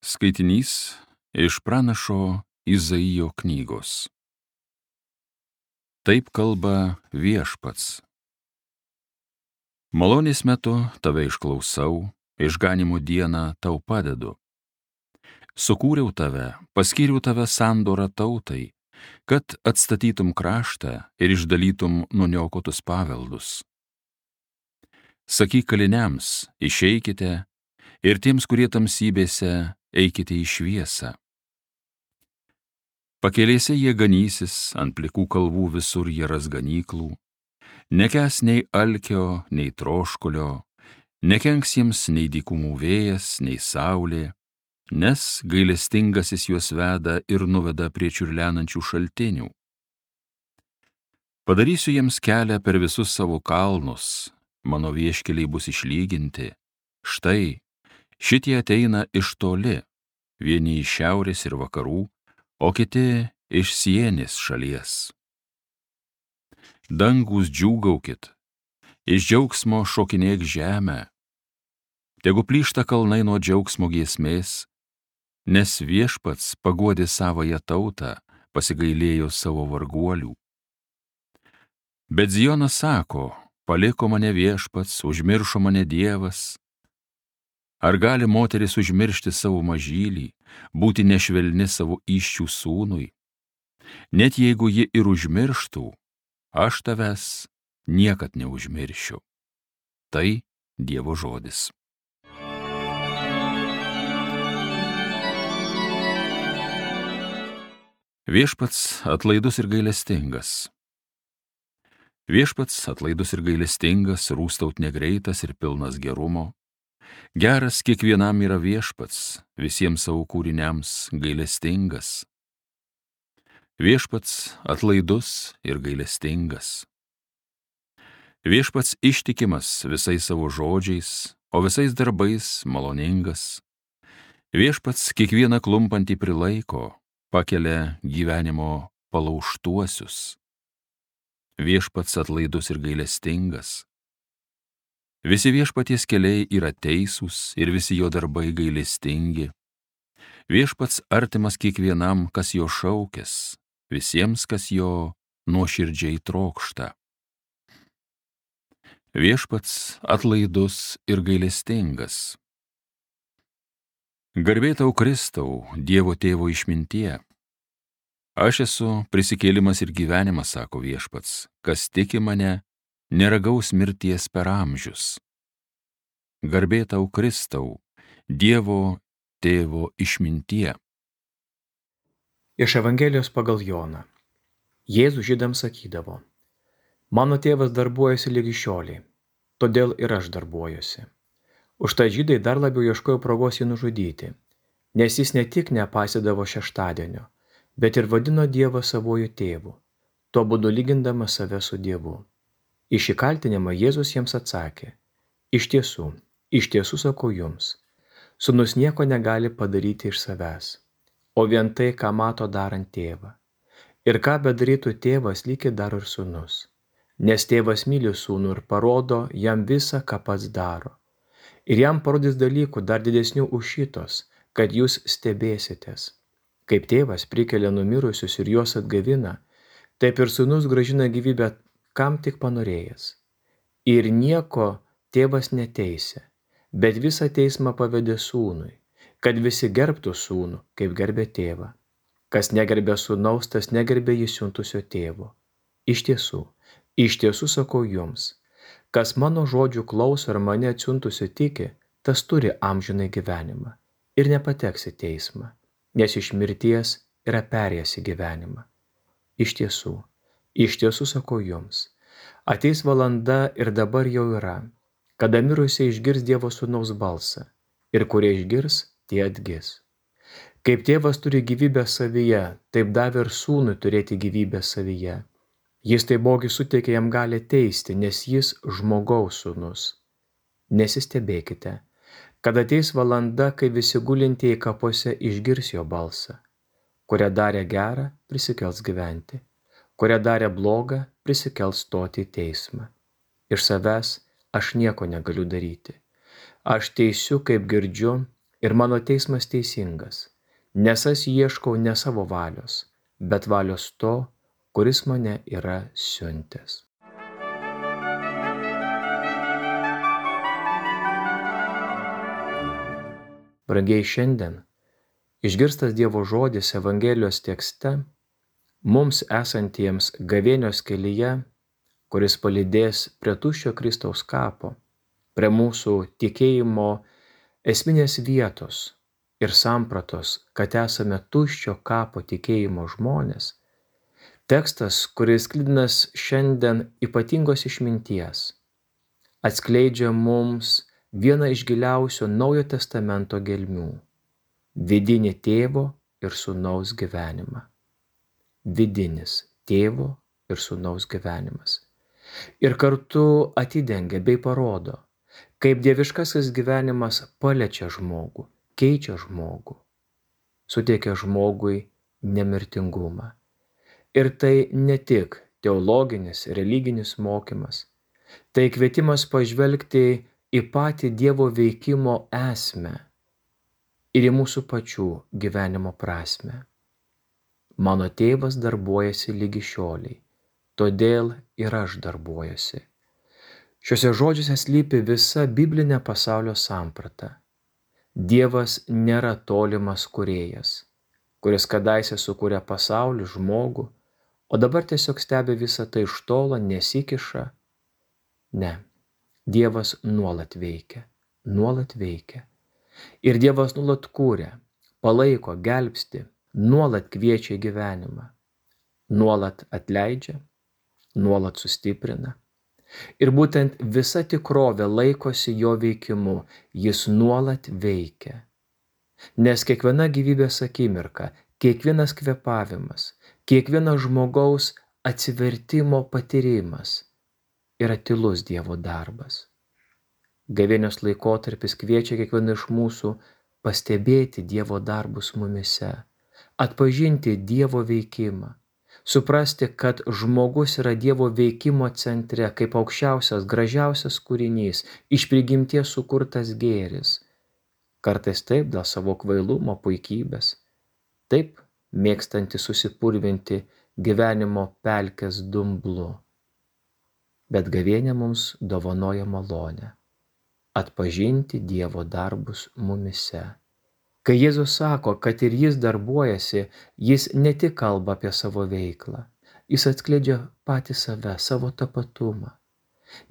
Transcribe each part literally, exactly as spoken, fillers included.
Skaitinys iš pranašo Izaijo knygos. Taip kalba Viešpats. Malonės metu tave išklausau, išganimo dieną tau padedu. Sukūriau tave, paskyriau tave sandorą tautai, kad atstatytum kraštą ir išdalytum nuniokotus paveldus. Sakyk kaliniams, išeikite, ir tiems, kurie tamsybėse, eikite į šviesą. Pakelėse jie ganysis, ant plikų kalvų visur jie ras ganyklų, nekęs nei alkio, nei troškulio, nekenks jiems nei dykumų vėjas, nei saulė, nes gailestingasis juos veda ir nuveda prie čiurlenančių šaltinių. Padarysiu jiems kelią per visus savo kalnus, mano vieškeliai bus išlyginti. Štai, šitie ateina iš toli, vieni iš šiaurės ir vakarų, o kiti iš Sienės šalies. Dangūs džiūgaukit, iš džiaugsmo šokinėk žemę, tegu plyšta kalnai nuo džiaugsmo giesmės, nes Viešpats paguodė savąją tautą, pasigailėjo savo varguolių. Bet Zionas sako, paliko mane Viešpats, užmiršo mane Dievas. Ar gali moteris užmiršti savo mažylį, būti nešvelni savo įsčių sūnui? Net jeigu ji ir užmirštų, aš tavęs niekad neužmiršiu. Tai Dievo žodis. Viešpats atlaidus ir gailestingas. Viešpats atlaidus ir gailestingas, rūstaut negreitas ir pilnas gerumo. Geras kiekvienam yra Viešpats, visiems savo kūriniams gailestingas. Viešpats atlaidus ir gailestingas. Viešpats ištikimas visais savo žodžiais, o visais darbais maloningas. Viešpats kiekvieną klumpantį prilaiko, pakelia gyvenimo palaužtuosius. Viešpats atlaidus ir gailestingas. Visi Viešpaties keliai yra teisūs ir visi jo darbai gailestingi. Viešpats artimas kiekvienam, kas jo šaukės, visiems, kas jo nuoširdžiai trokšta. Viešpats atlaidus ir gailestingas. Garbė tau Kristau, Dievo tėvo išmintie. Aš esu prisikėlimas ir gyvenimas, sako Viešpats, kas tiki mane, neragaus mirties per amžius. Garbė tau Kristau, Dievo tėvo išmintie. Iš Evangelijos pagal Joną. Jėzus žydams sakydavo, mano tėvas darbuojasi lygi šiolei, todėl ir aš darbuojuosi. Užtai žydai dar labiau ieškojo progos jį nužudyti, nes jis ne tik nepaisydavo šeštadienio, bet ir vadino Dievą savuoju tėvu, tuo būdu lygindamas save su Dievu. Į šį kaltinimą Jėzus jiems atsakė, iš tiesų, iš tiesų sakau jums, sūnus nieko negali padaryti iš savęs, o vien tai, ką mato darant tėvą. Ir ką bedarytų tėvas, lygiai daro ir sūnus, nes tėvas myli sūnų ir parodo jam visą, ką pats daro. Ir jam parodys dalykų dar didesnių už šitos, kad jūs stebėsitės. Kaip tėvas prikelia numirusius ir juos atgavina, taip ir sūnus grąžina gyvybę kam tik panorėjęs. Ir nieko tėvas neteisė, bet visą teismą pavedė sūnui, kad visi gerbtų sūnų, kaip gerbė tėvą. Kas negerbė sūnaus, tas negerbė jį siuntusio tėvo. Iš tiesų, iš tiesų sakau jums, kas mano žodžių klauso ir mane atsiuntusio tiki, tas turi amžinai gyvenimą ir nepateks į teismą, nes iš mirties yra perėjęs į gyvenimą. Iš tiesų, iš tiesų sakau jums, ateis valanda ir dabar jau yra, kada mirusieji išgirs Dievo sūnaus balsą, ir kurie išgirs, tie atgis. Kaip tėvas turi gyvybę savyje, taip davė ir sūnui turėti gyvybę savyje. Jis taipogi suteikė jam galią teisti, nes jis žmogaus sūnus. Nesistebėkite, kad ateis valanda, kai visi gulintieji kapuose išgirs jo balsą. Kurią darė gerą, prisikels gyventi. Kurią darė blogą, prisikels stoti į teismą. Iš savęs aš nieko negaliu daryti. Aš teisiu, kaip girdžiu, ir mano teismas teisingas, nes aš ieškau ne savo valios, bet valios to, kuris mane yra siuntęs. Brangiai, šiandien išgirstas Dievo žodis Evangelijos tekste, mums esantiems gavėnios kelyje, kuris palydės prie tuščio Kristaus kapo, prie mūsų tikėjimo esminės vietos ir sampratos, kad esame tuščio kapo tikėjimo žmonės, tekstas, kuris sklidinas šiandien ypatingos išminties, atskleidžia mums vieną iš giliausių Naujojo testamento gelmių – vidinį tėvo ir sūnaus gyvenimą. Vidinis tėvo ir sūnaus gyvenimas. Ir kartu atidengia bei parodo, kaip dieviškasis gyvenimas paliečia žmogų, keičia žmogų, suteikia žmogui nemirtingumą. Ir tai ne tik teologinis, religinis mokymas, tai kvietimas pažvelgti į patį Dievo veikimo esmę ir į mūsų pačių gyvenimo prasmę. Mano tėvas darbuojasi lygi šioliai, todėl ir aš darbuojuosi. Šiuose žodžiuose slypi visa biblinė pasaulio samprata. Dievas nėra tolimas kūrėjas, kuris kadaise sukūrė pasaulį, žmogų, o dabar tiesiog stebi visą tai iš tolo, nesikiša. Ne, Dievas nuolat veikia, nuolat veikia. Ir Dievas nuolat kūrė, palaiko, gelbsti, nuolat kviečia į gyvenimą, nuolat atleidžia, nuolat sustiprina. Ir būtent visa tikrovė laikosi jo veikimu, jis nuolat veikia. Nes kiekviena gyvybės akimirka, kiekvienas kvėpavimas, kiekvienas žmogaus atsivertimo patyrimas yra tylus Dievo darbas. Gavėnios laikotarpis kviečia kiekvieną iš mūsų pastebėti Dievo darbus mumise, atpažinti Dievo veikimą, suprasti, kad žmogus yra Dievo veikimo centre, kaip aukščiausias, gražiausias kūrinys, iš prigimties sukurtas gėris. Kartais taip dėl savo kvailumo, puikybės, taip mėgstanti susipurvinti gyvenimo pelkės dumblu. Bet gavėnia mums dovanoja malonę atpažinti Dievo darbus mumise. Kai Jėzus sako, kad ir jis darbuojasi, jis ne tik kalba apie savo veiklą, jis atskleidžia patį save, savo tapatumą.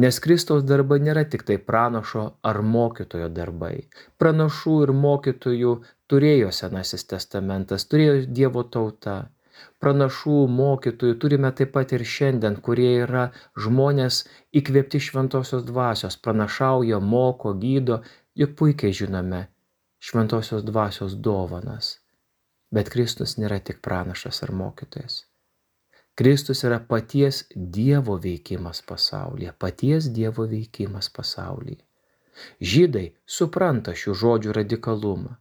Nes Kristaus darbai nėra tik tai pranašo ar mokytojo darbai. Pranašų ir mokytojų turėjo Senasis testamentas, turėjo Dievo tauta. Pranašų, mokytojų turime taip pat ir šiandien, kurie yra žmonės įkvėpti šventosios dvasios, pranašauja, moko, gydo, juk puikiai žinome šventosios dvasios dovanas. Bet Kristus nėra tik pranašas ar mokytojas. Kristus yra paties Dievo veikimas pasaulyje, paties Dievo veikimas pasaulyje. Žydai supranta šių žodžių radikalumą.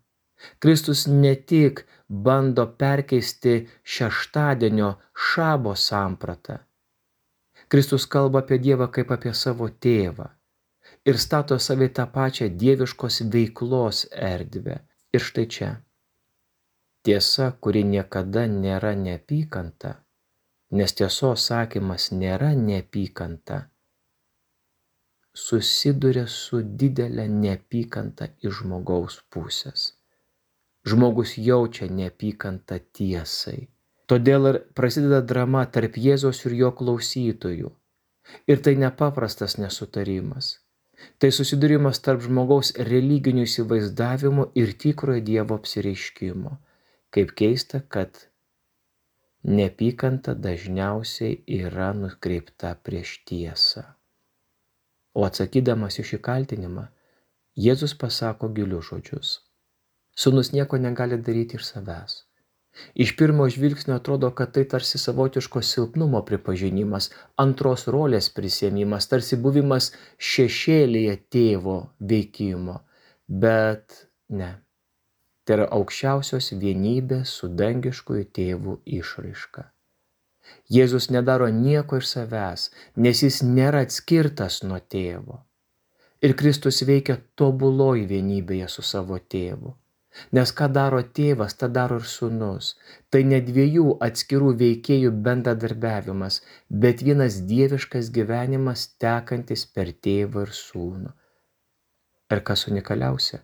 Kristus ne tik bando perkeisti šeštadienio šabo sampratą. Kristus kalba apie Dievą kaip apie savo tėvą ir stato savį tą pačią dieviškos veiklos erdvę. Ir štai čia. Tiesa, kuri niekada nėra neapykanta, nes tiesos sakymas nėra neapykanta, susiduria su didelė neapykanta iš žmogaus pusės. Žmogus jaučia neapykantą tiesai. Todėl ir prasideda drama tarp Jėzaus ir jo klausytojų. Ir tai nepaprastas nesutarimas. Tai susidūrimas tarp žmogaus religinių įsivaizdavimų ir tikrojo Dievo apsireiškimo. Kaip keista, kad neapykanta dažniausiai yra nukreipta prieš tiesą. O atsakydamas į šį kaltinimą, Jėzus pasako gilius žodžius. Sūnus nieko negali daryti iš savęs. Iš pirmo žvilgsnio atrodo, kad tai tarsi savotiško silpnumo pripažinimas, antros rolės prisiėmimas, tarsi buvimas šešėlyje tėvo veikimo. Bet ne. Tai yra aukščiausios vienybės su dangiškuoju tėvu išraiška. Jėzus nedaro nieko iš savęs, nes jis nėra atskirtas nuo tėvo. Ir Kristus veikia tobuloj vienybėje su savo tėvu. Nes ką daro tėvas, tą daro ir sūnus. Tai ne dviejų atskirų veikėjų bendradarbiavimas, bet vienas dieviškas gyvenimas tekantis per tėvą ir sūnų. Ir kas unikaliausia,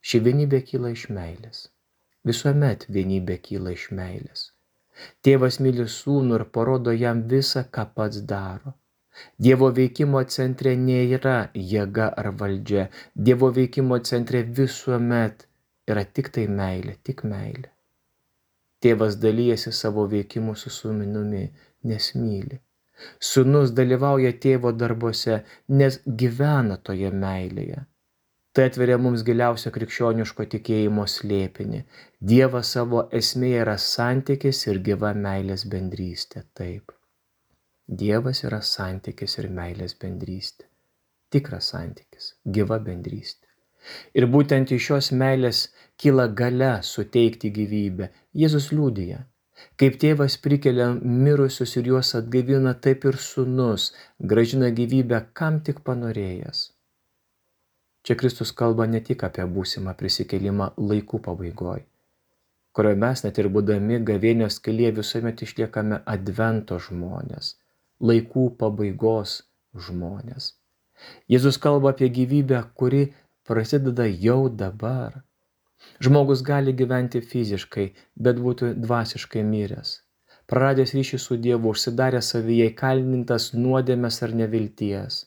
ši vienybė kyla iš meilės. Visuomet vienybė kyla iš meilės. Tėvas myli sūnų ir parodo jam visą, ką pats daro. Dievo veikimo centre nėra jėga ar valdžia. Dievo veikimo centre visuomet yra tik tai meilė, tik meilė. Tėvas dalyjasi savo veikimu su sūnumi, nes myli. Sūnus dalyvauja tėvo darbuose, nes gyvena toje meilėje. Tai atveria mums giliausio krikščioniško tikėjimo slėpinį. Dievas savo esmėje yra santykis ir gyva meilės bendrystė. Taip. Dievas yra santykis ir meilės bendrystė. Tikras santykis, gyva bendrystė. Ir būtent iš šios meilės kyla galia suteikti gyvybę. Jėzus liudija, kaip tėvas prikelia mirusius ir juos atgaivina, taip ir sūnus grąžina gyvybę, kam tik panorėjęs. Čia Kristus kalba ne tik apie būsimą prisikėlimą laikų pabaigoj, kurioje mes net ir būdami gavėnios kelyje visuomet išliekame advento žmonės, laikų pabaigos žmonės. Jėzus kalba apie gyvybę, kuri prasideda jau dabar. Žmogus gali gyventi fiziškai, bet būti dvasiškai miręs, praradęs ryšį su Dievu, užsidaręs savyje, įkalintas nuodėmės ar nevilties.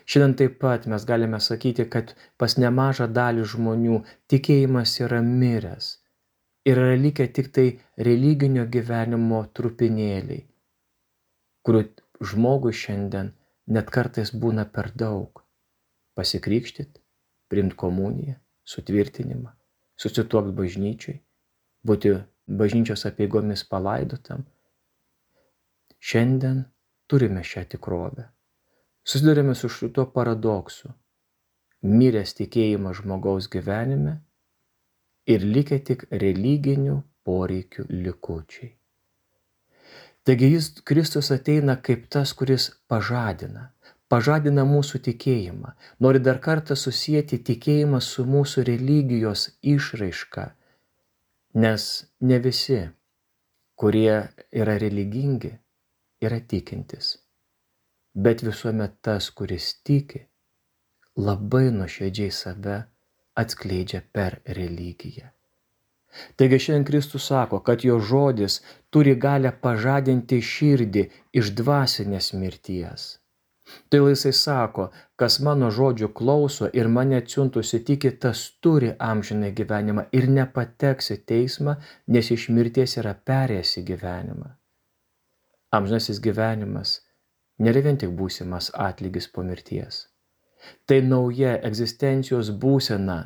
Šiandien taip pat mes galime sakyti, kad pas nemažą dalį žmonių tikėjimas yra miręs ir yra likę tik tai religinio gyvenimo trupinėliai, kurių žmogui šiandien net kartais būna per daug. Pasikrikštyt, priimt komuniją, sutvirtinimą, susituokt bažnyčiai, būti bažnyčios apeigomis palaidotam. Šiandien turime šią tikrovę. Susidurime su šituo paradoksu. Miręs tikėjimas žmogaus gyvenime ir likę tik religinių poreikių likučiai. Taigi jis, Kristus, ateina kaip tas, kuris pažadina, pažadina mūsų tikėjimą, nori dar kartą susijęti tikėjimą su mūsų religijos išraiška, nes ne visi, kurie yra religingi, yra tikintis, bet visuomet tas, kuris tiki, labai nuoširdžiai save atskleidžia per religiją. Taigi šiandien Kristus sako, kad jo žodis turi galią pažadinti širdį iš dvasinės mirties. Tai jisai sako, kas mano žodžių klauso ir mane atsiuntusi tiki, tas turi amžiną gyvenimą ir nepateks į teismą, nes iš mirties yra perėjęs į gyvenimą. Amžinasis gyvenimas nėra vien tik būsimas atlygis po mirties. Tai nauja egzistencijos būsena,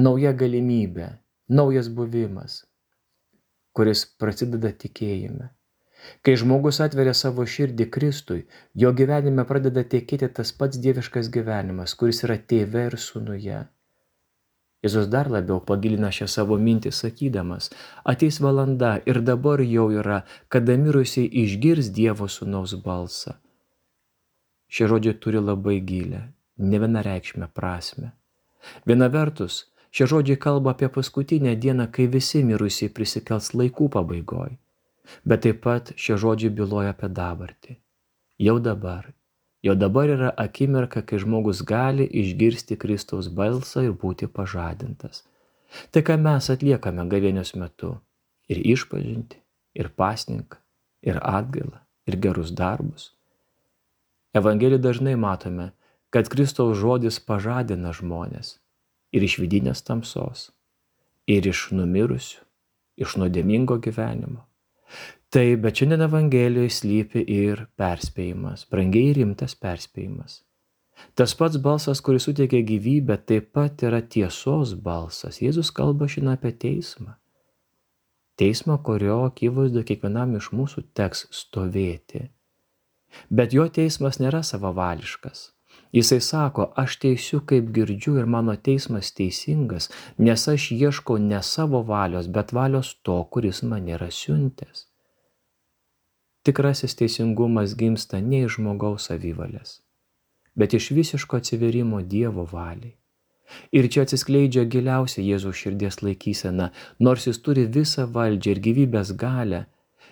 nauja galimybė, naujas buvimas, kuris prasideda tikėjime. Kai žmogus atveria savo širdį Kristui, jo gyvenime pradeda tekėti tas pats dieviškas gyvenimas, kuris yra tėve ir sūnuje. Jėzus dar labiau pagilina šią savo mintį sakydamas, ateis valanda ir dabar jau yra, kada mirusiai išgirs Dievo sūnaus balsą. Šie žodžiai turi labai gilę, nevienareikšmę prasmę. Viena vertus, šie žodžiai kalba apie paskutinę dieną, kai visi mirusiai prisikels laikų pabaigoj. Bet taip pat šie žodžiai byloja apie dabartį. Jau dabar. Jau dabar yra akimirka, kai žmogus gali išgirsti Kristaus balsą ir būti pažadintas. Tai, ką mes atliekame gavėnios metu. Ir išpažinti, ir pasninką, ir atgailą, ir gerus darbus. Evangelijoje dažnai matome, kad Kristaus žodis pažadina žmonės. Ir iš vidinės tamsos, ir iš numirusių, iš nuodėmingo gyvenimo. Taip, bet šiandien Evangelijoje slypi ir perspėjimas, brangiai rimtas perspėjimas. Tas pats balsas, kuris suteikia gyvybę, taip pat yra tiesos balsas. Jėzus kalba šiandien apie teismą. Teismą, kurio akivaizdu kiekvienam iš mūsų teks stovėti. Bet jo teismas nėra savavališkas. Jisai sako, aš teisiu, kaip girdžiu, ir mano teismas teisingas, nes aš ieškau ne savo valios, bet valios to, kuris mane yra siuntęs. Tikrasis teisingumas gimsta ne iš žmogaus savivalės, bet iš visiško atsiverimo Dievo valiai. Ir čia atsiskleidžia giliausia Jėzaus širdies laikysena, nors jis turi visą valdžią ir gyvybės galią,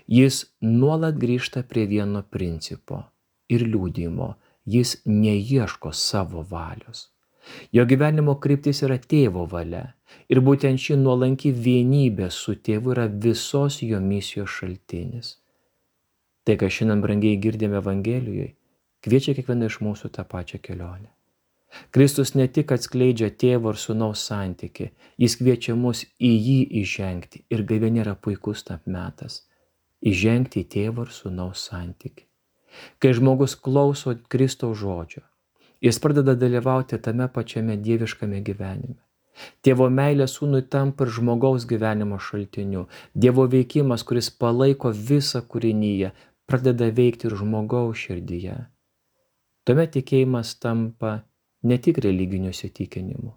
jis nuolat grįžta prie vieno principo ir liudijimo, jis neieško savo valios. Jo gyvenimo kryptis yra tėvo valia ir būtent ši nuolanki vienybė su tėvu yra visos jo misijos šaltinis. Tai, ką šiandien brangiai girdime Evangelijoje, kviečia kiekvieną iš mūsų tą pačią kelionę. Kristus ne tik atskleidžia tėvo ir sūnaus santykį, jis kviečia mus į jį įžengti ir gavėnia yra puikus tam metas – įžengti į tėvo ir sūnaus santykį. Kai žmogus klauso Kristaus žodžio, jis pradeda dalyvauti tame pačiame dieviškame gyvenime. Tėvo meilė sūnui tampa ir žmogaus gyvenimo šaltiniu. Dievo veikimas, kuris palaiko visą kūrinyje, pradeda veikti ir žmogaus širdyje. Tuomet tikėjimas tampa ne tik religiniu įsitikinimu,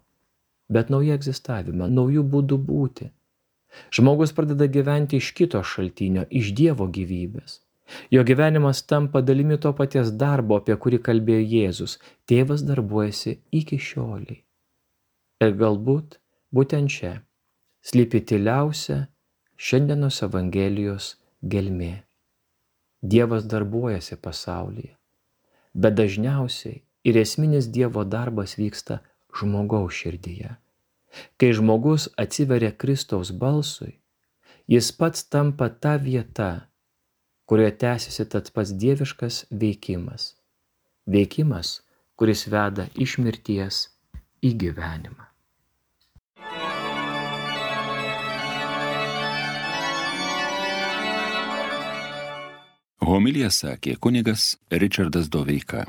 bet naują egzistavimą, naujų būdų būti. Žmogus pradeda gyventi iš kito šaltinio, iš Dievo gyvybės. Jo gyvenimas tampa dalimi to paties darbo, apie kurį kalbėjo Jėzus. Tėvas darbuojasi iki šioliai. Ir galbūt būtent čia slypi tyliausia šiandienos Evangelijos gelmė. Dievas darbuojasi pasaulyje, bet dažniausiai ir esminis Dievo darbas vyksta žmogaus širdyje. Kai žmogus atsiveria Kristaus balsui, jis pats tampa ta vieta, kurioje tęsiasi tas pats dieviškas veikimas. Veikimas, kuris veda iš mirties į gyvenimą. Homiliją sakė kunigas Ričardas Doveika.